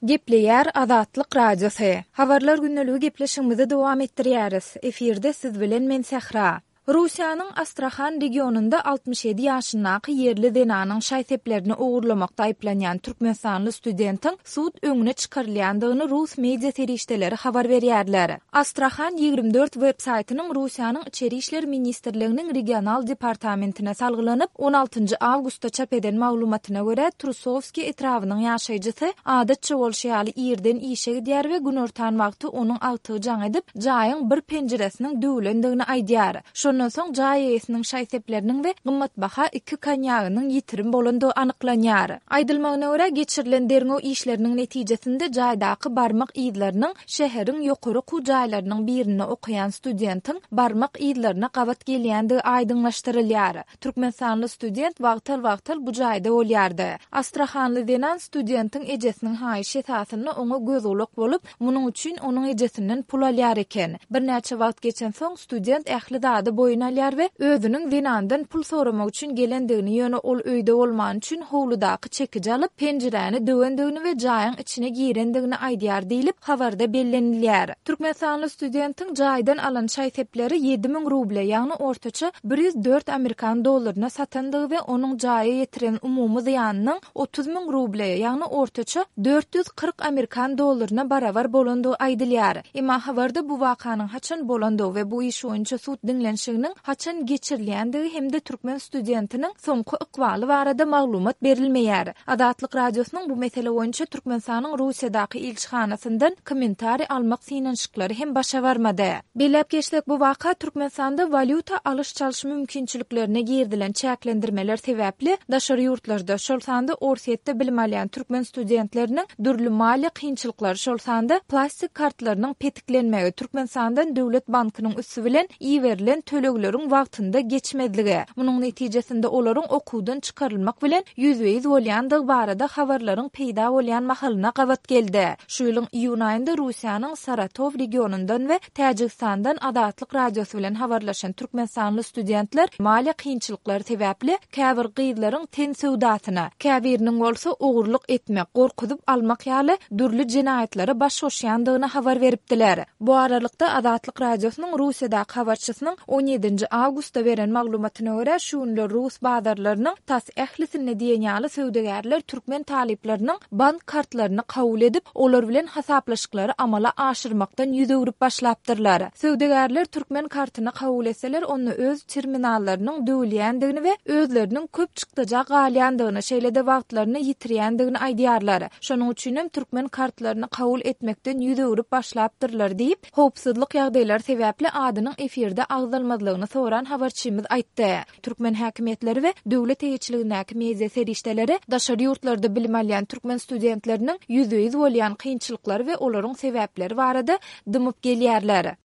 Gepleýär Azatlyk Radiosy. Habarlar gündeligi gepleşigimizi dowam etdirýäris. Efirde siz bilen men Sähra. Russiýanyň Astrahan regionynda 67 ýaşyndaky ýerli zenanyň şaý-seplerini ogurlamakda aýyplanýan türkmenistanly studentiň sud öňüne çykarylýandygyny rus media serişdeleri habar berýärler. Astrahan 24 web saýtynyň Russiýanyň Içeri işler ministrliginiň regional departamentine salgylanyp, on altynjy awgustda çap eden maglumatyna görä, Trusowskiý etrabynyň ýaşaýjysy, adatça bolşy ýaly, irden işe gidýär we günortan wagty onuň agtygy jaň edip, jaýyň bir penjiresiniň döwülendigini aýdýar. Şondan soň jaý eýesiniň şaý-sepleriniň we gymmatbaha iki konýagynyň ýitirim bolandygy anyklanýar. Aýdylmagyna görä, geçirilen derňew işleriniň netijesinde jaýdaky barmak yzlarynyň şäheriň ýokary okuw jaýlarynyň birinde okaýan studentiň barmak yzlaryna gabat gelýändigi aýdyňlaşdyrylýar. Türkmenistanly student wagtal-wagtal bu jaýda bolýardy. Astrahanly zenan studentiň ejesiniň haýyşy esasynda oňa göz-gulak bolup, munuň üçin onuň ejesinden pul alýar eken. Birnäçe wagt geçensoň, student ähli zady boýun alýar we özüniň zenandan pul soramak üçin gelendigini, ýöne ol öýde bolmany üçin howludaky çekiji alyp, penjiräni döwendigini we jaýyň içine girendigini aýdýar diýlip, habarda bellenilýär. Türkmenistanly studentiň jaýdan alan şaý-sepleri 7000 ruble, ýagny ortaça 104 amerikan dollaryna satandygy we onuň jaýa ýetiren umumy zyýanynyň 30 müň ruble, ýagny ortaça 440 amerikan dollaryna barabar bolandygy aýdylýar. Emma habarda bu wakanyň haçan bolandygy we bu iş boýunça sud diňlenişiginiň haçan geçirilýändigi hem-de türkmen studentiniň soňky ykbaly barada maglumat berilmeýär. Azatlyk Radiosynyň bu mesele boýunça Türkmenistanyň Russiýadaky ilçihanasyndan kommentariý almak synanyşyklary hem başa barmady. Belläp geçsek, bu waka Türkmenistanda walýuta alyş-çalyş mümkinçiliklerine girizilen çäklendirmeler sebäpli daşary ýurtlarda, şol sanda Orsýetde bilim alýan türkmen studentleriniň dürli maliýe kynçylyklary, şol sanda plastik kartlarynyň petiklenmegi, Türkmenistandan döwlet bankynyň üsti bilen iberilen tölegleriň wagtynda geçmezligi, munuň netijesinde olaryň okuwdan çykarylmak bilen ýüzbe-ýüz bolýandygy barada habarlaryň peýda bolýan mahalyna gabat geldi. Şu ýylyň iýun aýynda Russiýanyň Saratow regionyndan we Täjigistandan Azatlyk Radiosy bilen habarlaşan türkmenistanly studentler maliýe kynçylyklary sebäpli käbir gyzlaryň ten söwdasyna, käbiriniň bolsa ogurlyk etmek, gorkuzyp almak ýaly dürli jenaýatlara baş goşýandygyny habar beripdiler. Bu aralykda, Azatlyk Radiosynyň Russiýadaky habarçysynyň on ýedinji awgustda beren maglumatyna görä, şu günler rus bazarlarynyň tas ählisinde diýen ýaly söwdagärler türkmen talyplarynyň bank kartlaryny kabul edip, olar bilen hasaplaşyklary amala aşyrmakdan ýüz öwrüp başlapdyrlar. Söwdagärler türkmen kartyny kabul etseler, onda öz terminallarynyň döwülýändigini we özleriniň köp çykdaja galýandygyny, şeýle-de wagtlaryny ýitirýändigini aýdýarlar. Şonuň üçinem türkmen kartlaryny kabul etmekden ýüz öwrüp başlapdyrlar diýip, howpsuzlyk ýagdaýlary sebäpli adynyň efirde agzalmazlygyny soran habarçymyz aýtdy. Türkmen häkimiýetleri we döwlet eýeçiligindäki media serişdeleri daşary ýurtlarda bilim alýan türkmen studentleriniň ýüzbe-ýüz bolýan kynçylyklary we olaryň sebäpleri barada dymyp gelýärler.